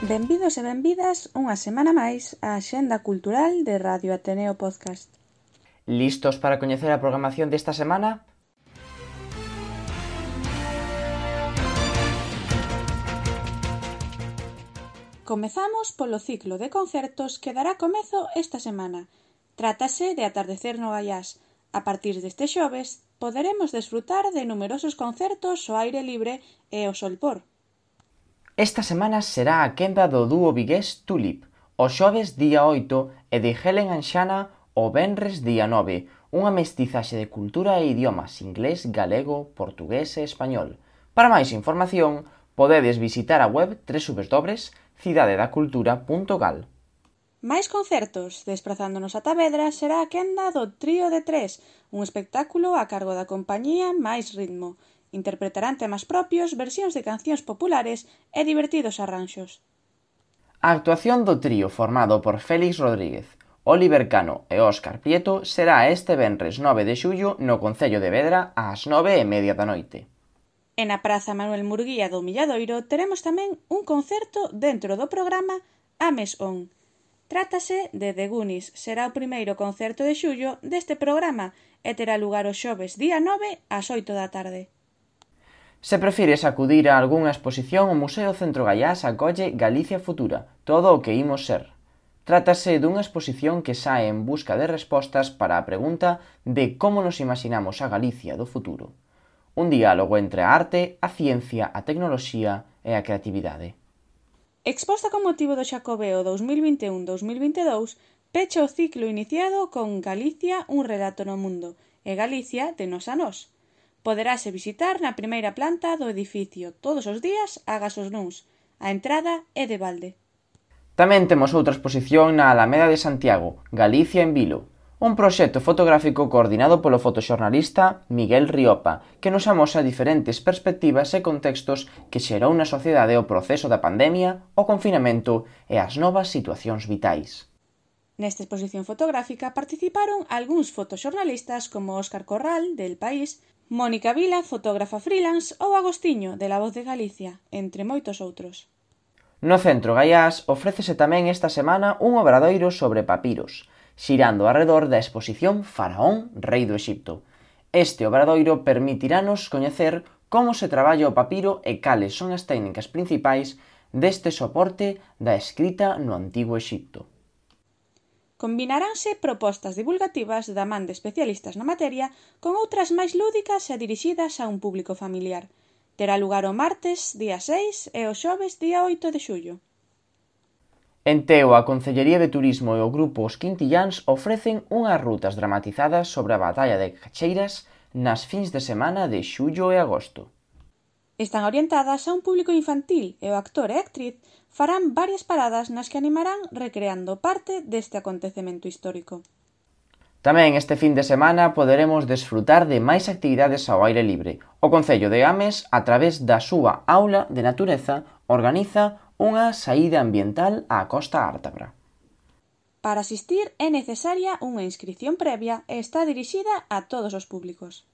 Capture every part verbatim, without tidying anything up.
Benvidos e benvidas unha semana máis á Axenda Cultural de Radio Ateneo Podcast. Listos para coñecer a programación desta semana? Comezamos polo ciclo de concertos que dará comezo esta semana. Trátase de Atardecer no Gaiás. A partir deste xoves poderemos desfrutar de numerosos concertos ao aire libre e ao solpor. Esta semana será a quenda do dúo vigués Tulip, o xoves día oito e de Helen and Shanna o venres día nove, unha mestizaxe de cultura e idiomas inglés, galego, portugués e español. Para máis información, podedes visitar a web doble u doble u doble u punto cidade da cultura punto gal. Máis concertos, desprazándonos a Tavedra, será a quenda do Trío de Tres, un espectáculo a cargo da compañía Máis Ritmo. Interpretarán temas propios, versións de cancións populares e divertidos arranxos. A actuación do trío formado por Félix Rodríguez, Oliver Cano e Óscar Prieto será este venres nove de xullo no Concello de Vedra ás nove e media da noite. E na Praza Manuel Murguía do Milladoiro teremos tamén un concerto dentro do programa Ames On. Trátase de The Goonies, será o primeiro concerto de xullo deste programa e terá lugar o xoves día nove ás oito da tarde. Se prefires acudir a algunha exposición, o Museo Centro Gaiás acolle Galicia Futura, todo o que imos ser. Trátase dunha exposición que sae en busca de respostas para a pregunta de como nos imaginamos a Galicia do futuro. Un diálogo entre a arte, a ciencia, a tecnoloxía e a creatividade. Exposta con motivo do Xacobeo dous mil vinte e un dous mil vinte e dous, pecha o ciclo iniciado con Galicia, un relato no mundo, e Galicia de nos a nós. Poderase visitar na primeira planta do edificio todos os días agas os luns. A entrada é de balde. Tamén temos outra exposición na Alameda de Santiago, Galicia en Vilo, un proxecto fotográfico coordinado polo fotoxornalista Miguel Riopa, que nos amosa diferentes perspectivas e contextos que xerou na sociedade o proceso da pandemia, o confinamento e as novas situacións vitais. Nesta exposición fotográfica participaron algúns fotoxornalistas como Óscar Corral, del País, Mónica Vila, fotógrafa freelance, ou Agostiño, de La Voz de Galicia, entre moitos outros. No Centro Gaiás ofrécese tamén esta semana un obradoiro sobre papiros, xirando arredor da exposición Faraón, rei do Exipto. Este obradoiro permitirános coñecer como se traballa o papiro e cales son as técnicas principais deste soporte da escrita no Antigo Exipto. Combinaránse propostas divulgativas da man de especialistas na materia con outras máis lúdicas e dirixidas a un público familiar. Terá lugar o martes, día seis, e o xoves, día oito de xullo. En Teo, a Concellería de Turismo e o Grupo Os Quintilláns ofrecen unhas rutas dramatizadas sobre a batalla de Cacheiras nas fins de semana de xullo e agosto. Están orientadas a un público infantil e o actor e actriz farán varias paradas nas que animarán recreando parte deste acontecemento histórico. Tamén este fin de semana poderemos desfrutar de máis actividades ao aire libre. O Concello de Ames, a través da súa Aula de Natureza, organiza unha saída ambiental á Costa Ártabra. Para asistir é necesaria unha inscrición previa e está dirixida a todos os públicos.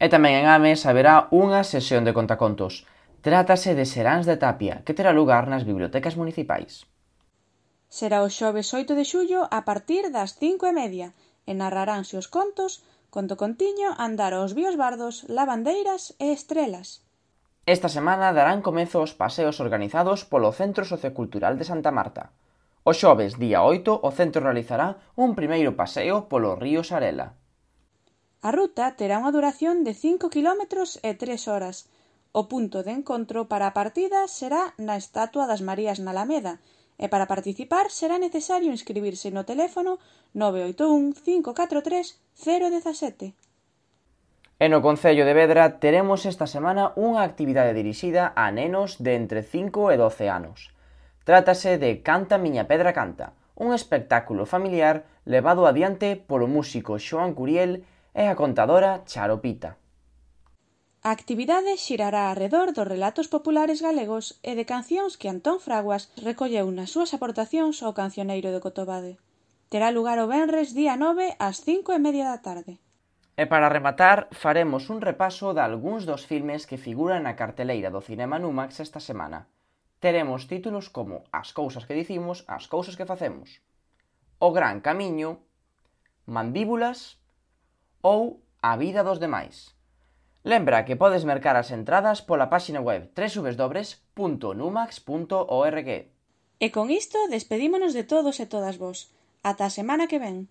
E tamén en Ames haberá unha sesión de contacontos. Trátase de Seráns de Tapia, que terá lugar nas bibliotecas municipais. Será o xoves oito de xullo a partir das cinco e media e narraránse os contos Conto Contiño, Andar aos Biosbardos, Lavandeiras e Estrelas. Esta semana darán comezo os paseos organizados polo Centro Sociocultural de Santa Marta. O xoves, día oito, o centro realizará un primeiro paseo polo río Sarela. A ruta terá unha duración de cinco quilómetros e tres horas. O punto de encontro para a partida será na Estatua das Marías na Alameda, e para participar será necesario inscribirse no teléfono nove oito un, cinco catro tres, cero un sete. E no Concello de Vedra teremos esta semana unha actividade dirixida a nenos de entre cinco e doce anos. Trátase de Canta Miña Pedra Canta, un espectáculo familiar levado adiante polo músico Xoán Curiel e a contadora Charo Pita. A actividade xirará arredor dos relatos populares galegos e de cancións que Antón Fraguas recolleu nas súas aportacións ao Cancioneiro de Cotobade. Terá lugar o venres día nove ás cinco e media da tarde. E para rematar, faremos un repaso de algúns dos filmes que figuran na carteleira do Cinema Numax esta semana. teremos títulos como As cousas que dicimos, as cousas que facemos, O gran camiño, Mandíbulas ou A vida dos demais. Lembra que podes mercar as entradas pola páxina web doble u doble u doble u punto numax punto org. E con isto despedímonos de todos e todas vos. Ata a semana que ven.